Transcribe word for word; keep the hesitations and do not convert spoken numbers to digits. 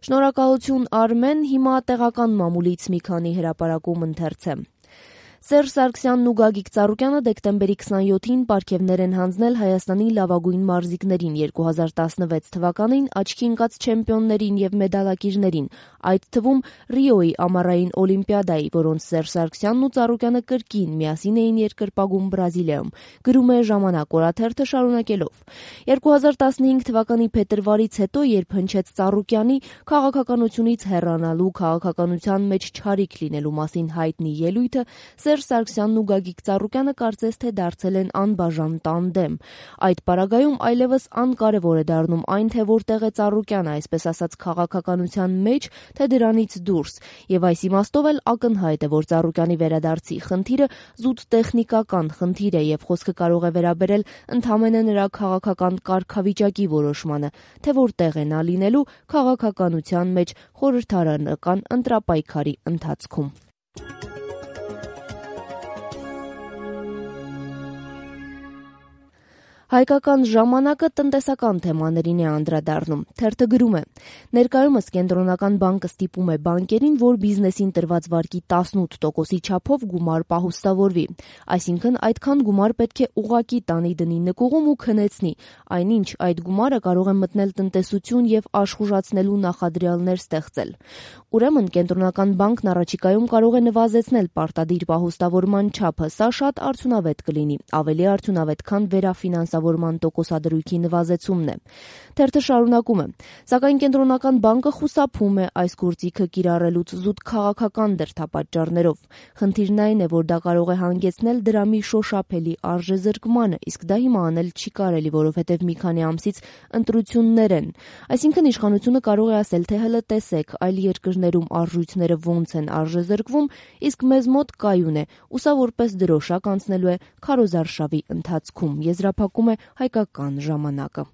Շնորհակալություն Արմեն, հիմա տեղական մամուլից մի քանի հրապարակում ընթերցեմ։ Սերժ Սարգսյանն ու Գագիկ Ծառուկյանը դեկտեմբերի քսանյոթին պարգևներ են հանձնել Հայաստանի լավագույն մարզիկներին երկու հազար տասնվեց թվականին աչքի ընկած չեմպիոններին եւ մեդալակիրներին, այդ թվում Ռիոյի ամառային օլիմպիադայի, որոնց Սերժ Սարգսյանն ու Ծառուկյանը կրկին միասին էին երկրպագում Բրազիլիայում, գրում է «Ժամանակ» օրաթերթը շարունակելով. երկու հազար տասնհինգ թվականի փետրվարից հետո, երբ հնչեց Ծառուկյանի քաղաքականությունից հեռանալու, քաղաքականության մեջ չարիք լինելու մասին հայտնի ելույթը, Սերժ Սարգսյանն ու Գագիկ Ծառուկյանը կարծես թե դարձել են անբաժան տանդեմ։ Այդ պարագայում այլևս անկարևոր է դառնում այն, թե որտեղ է Ծառուկյանը, այսպես ասած, քաղաքականության մեջ, թե դրանից դուրս։ Եվ այս իմաստով էլ ակնհայտ է, որ Ծառուկյանի վերադարձի խնդիրը զուտ տեխնիկական խնդիր է եւ խոսքը կարող է վերաբերել ընդամենը նրա քաղաքական կարգավիճակի որոշմանը, թե որտեղ է նա լինելու քաղաքականության մեջ խորհրդարանական ընտրապայքարի ընթացքում։ Հայկական ժամանակը տնտեսական թեմաներին է անդրադառնում։ Թերթը գրում է. ներկայումս կենտրոնական բանկը ստիպում է բանկերին, որ բիզնեսին տրված վարկի տասնութ տոկոսի չափով գումար պահուստավորվի։ Այսինքն այդքան գումար պետք է ուղղակի տանի դնի նկուղում ու քնեցնի, այնինչ այդ գումարը կարող է մտնել տնտեսություն եւ աշխուժացնելու նախադրյալներ ստեղծել։ Ուրեմն կենտրոնական բանկն առաջիկայում կարող է նվազեցնել պարտադիր պահուստավորման չափը, սա շատ արդյունավետ կլինի, ավելի արդյունավետ, քան վերաֆինանսավորման տոկոսադրույքի նվազեցումն է։ Թերթը շարունակում է. սակայն կենտրոնական բանկը խուսափում է այս գործիքը կիրառելուց զուտ քաղաքական դրդապատճառներով։ Խնդիրն այն է, որ դա կարող է հանգեցնել դրամի շոշափելի արժեզրկմանը, իսկ դա հիմա անել չի կարելի, որովհետև մի քանի ամսից ընտրություններ են։ Այսինքն իշխանությունը կարող է ասել, թե հələ տեսեք, այլ երկրներում արժույթները ոնց են արժեզրկվում, իսկ մեզ մոտ կայուն է, ու սա որպես դրոշակ անցնելու է քարոզարշավի ընթացքում, եզրափակում է Հայկական ժամանակը։